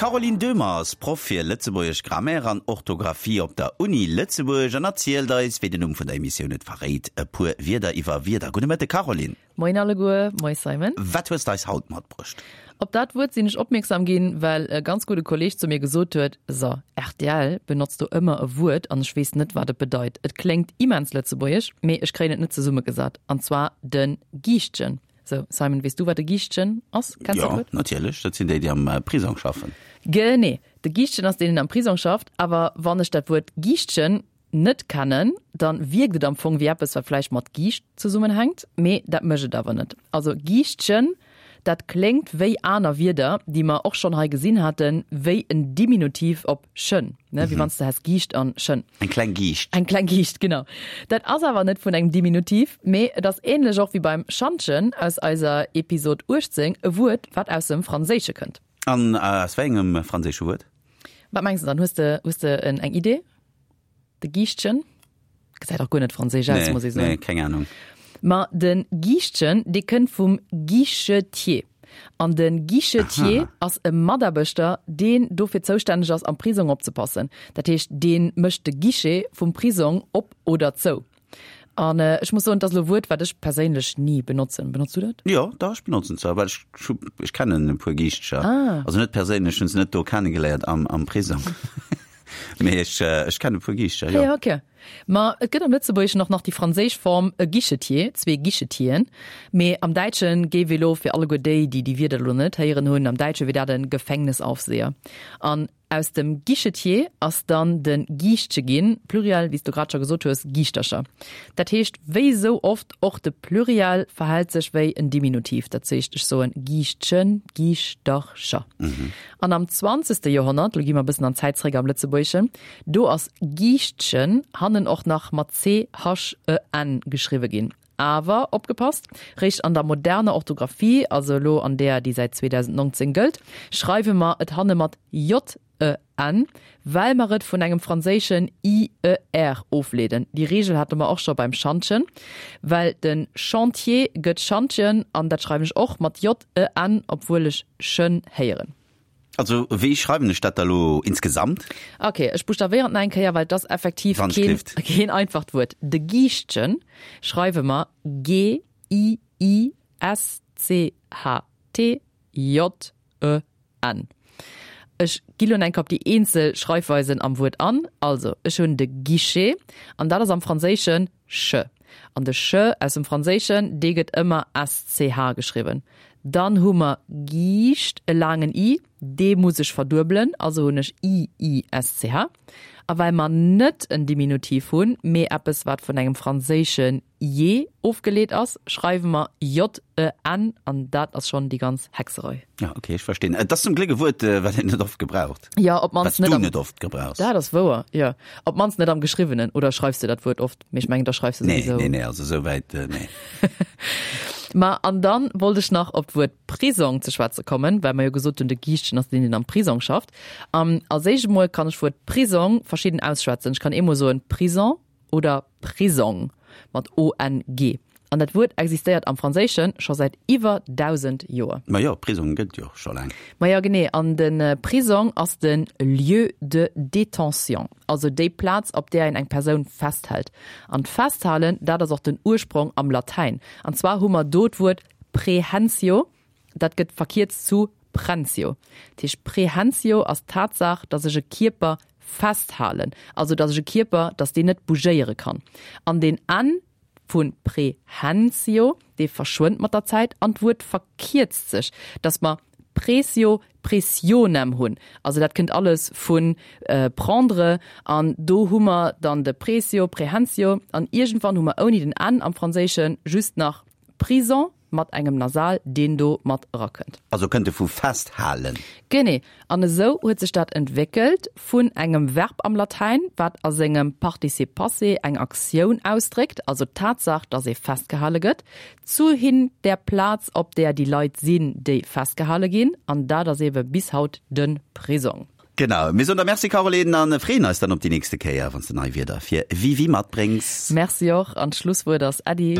D'Caroline Döhmer ass Proff fir lëtzebuergesch Grammaire an Orthografie op der Uni Lëtzebuerg an erzielt eis, wéi den Numm vun der Emissioun et verréit, e puer Wierder iwwer Wierder. Gudde Mëtte Caroline. Moien alleguer, moie Simon. Wat hues de eis haut matbruecht? Op dat Wuert sinn ech opmierksam ginn, well e ganz gudde Kolleeg zu mir gesot huet, So, rtl benotzt do ëmmer e Wuert an ech weess net, wat et bedeit. Et kléngt immens lëtzebuergesch, mee ech kréien et net zesummegesat. An zwar de Giischtjen. Sou, Simon, weess du, wat e Giischtjen ass? Kenns du dat Wuert? Jo, natierlech. Dat sinn déi, déi am Prisong schaffen. Genee. De Giischtjen ass deen, deen am Prisong schafft. Awer wann ech dat Wuert Giischtjen net kennen, dann wierkt et am Fong wéi eppes wat vläicht mat Giischt zesummenhänkt, mee dat mécht et awer net. Also Giischtchen, dat kléngt wéi aner Wierder, déi mer och schonn hei gesinn haten, wéi en Diminutiv op chen, ne, wéi wann s de häss Giischt an chen. Eng kleng Giischt. Eng kleng Giischt, genau. Dat ass awer net vun engem Diminutiv, mee et ass ähnlech och wéi beim Schantjen aus eiser Episod 18 e Wuert, wat aus dem Franséische kënnt. An aus wéi engem franséische Wuert? Wat mengs de dann? Hues de, hues de eng Idee? De Giischtjen gesäit och guer net franséisch aus, muss ee soen. Nee, keng Ahnung. Ma de Giischtjen, dee kënnt vum Guichetier. An de Guichetier ass e Mataarbechter, deen dofir zoustänneg ass, am Prisong opzepassen. Dat heescht, dee mécht de Guichet vum Prisong op oder zou. An ech muss soen, et ass elo e Wuert, wat ech perséinlech ni benotzen. Benotz du dat? Jo, dach, ech benotzen et zwar, well ech hu, ech kennen e puer Giischtcher. Ah. Also net perséinlech, hunn se net do kennegeléiert am, am Prisong. Mee ech, ech kennen e puer Giischtcher, jo. Ja, okay. Ma et gëtt am Lëtzebuergeschen och nach déi franséisch Form e Guichetier, zwee Guichetieren. Mee am Däitsche géif ee lo, fir alleguer déi, déi déi Wierder elo net héieren hunn, am Däitsche wier dat e Gefängnisaufseher. An Aus dem Guichetier ass dann de Giischtche ginn, Pluriel, wéi s du grad scho gesot hues, Giischtercher. Dat heescht, wéi esou oft, och de Pluriel verhält sech wéi en Diminutiv, dat heescht, ech soen Giischtchen, Giischtercher. An am zwanzegste Joerhonnert, lo gi mer e bëssen an d'Zäit zréck am Lëtzebuergeschen, do ass Giischtchen hannen och nach mat c-h-e-n geschriwwe ginn. Awer opgepasst, Réischt an der moderner Orthografie, also elo an deer, déi säit 2019 gëllt, schreiwe mer et hanne mat j-e-n, well mer et vun engem franséischen i-e-r ofleeden. Déi Reegel hate mer och scho beim Schantjen, well de Chantier gëtt Schantjen, an dat schreiwen ech och mat j-e-n, obwuel ech chen héieren. Also wéi schreiwen ech dat da lo insgesamt? Ok, ech buschtavéieren et nach eng Kéier, well et ass effektiv keen, keen einfacht Wuert. De Giischtchen schreiwe mer G-I-I-S-C-H-T-J-E-N. Ech gi lo nach eng Kéier op déi eenzel Schreifweisen am Wuert an. Also, ech hunn de Guichet, an dat ass am Franséischen ch. An de ch aus dem Franséischen, dee gëtt ëmmer sch geschriwwen. Dann hu mer Giischt, e laangen i, dee muss ech verduebelen, also hunn ech i, i, s, c, h. A well mer net en Diminutiv hunn, mee eppes, wat vun engem franséische je ofgeleet ass, schreiwe mer j, e, n, an dat ass schonn déi ganz Hexerei. Ja, okay, ech verstinn. Et ass zum Gléck e Wuert, wat een net oft gebraucht. Jo, op d'mannst net am. Wat s du net oft gebrauchs. Dat ass wouer, jo. Op d'mannst net am Geschriwwenen. Oder schreifs de dat Wuert oft? Mee ech mengen, da schreifs de souwisou. Nee, nee, nee, also esou wäit, nee. Ma an dann wollt ech nach op d'Wuert Prisong ze schwätze kommen, well mer jo gesot hunn, de Giischtjen ass deen, deen am Prisong schafft. An als éischt emol kann ech d'Wuert Prisong verschidden ausschwätzen. Ech kann eemol soen Prison oder Prisong mat o-n-g. An dat Wuert existéiert am Franséische scho säit iwwer 1.000 Joer. Ma jo, Prisong gëtt jo scho laang. Ma jo, genee. An de Prisong ass de Lieu de détention, also déi Plaz, op där een eng Persoun festhält. An d'Festhalen, dat ass och den Ursprong am Latäin. An zwar hu mer do d'Wuert prehensio, dat gëtt verkierzt zu prensio. Dat heescht, prehensio ass d'Tatsaach, datt ech e Kierper festhalen, also datt ech e Kierper, datt deen net bougéiere kann. An deen n vu prehensio, dee verschwënnt mat der Zäit an d'Wuert verkierzt sech, datt mer pressio, pressionem hunn. Also dat kënnt alles vu prendre an do hu mer dann de pressio, prehensio an iergendwann hu mer ouni den n am Franséische just nach prison. Mat engem Nasal, deen do mat erakënnt. Also kënnt e vu festhalen. Genee. An esou huet sech dat entwéckelt vun engem Verb am Latäin, wat a sengem Participe passé eng Aktioun ausdréckt, also d'Tatsaach, dass ee festgehale gëtt, zu hin der Plaz, op där déi Leit sinn, déi festgehale ginn. An dat ass eebe bis haut de Prisong. Genau, mir soen der Merci Caroline an freeën eis dann op déi nächste Kéier, wann s de nei Wierder fir Wiwi matbréngs. Merci och, an d'Schlusswuert ass Äddi.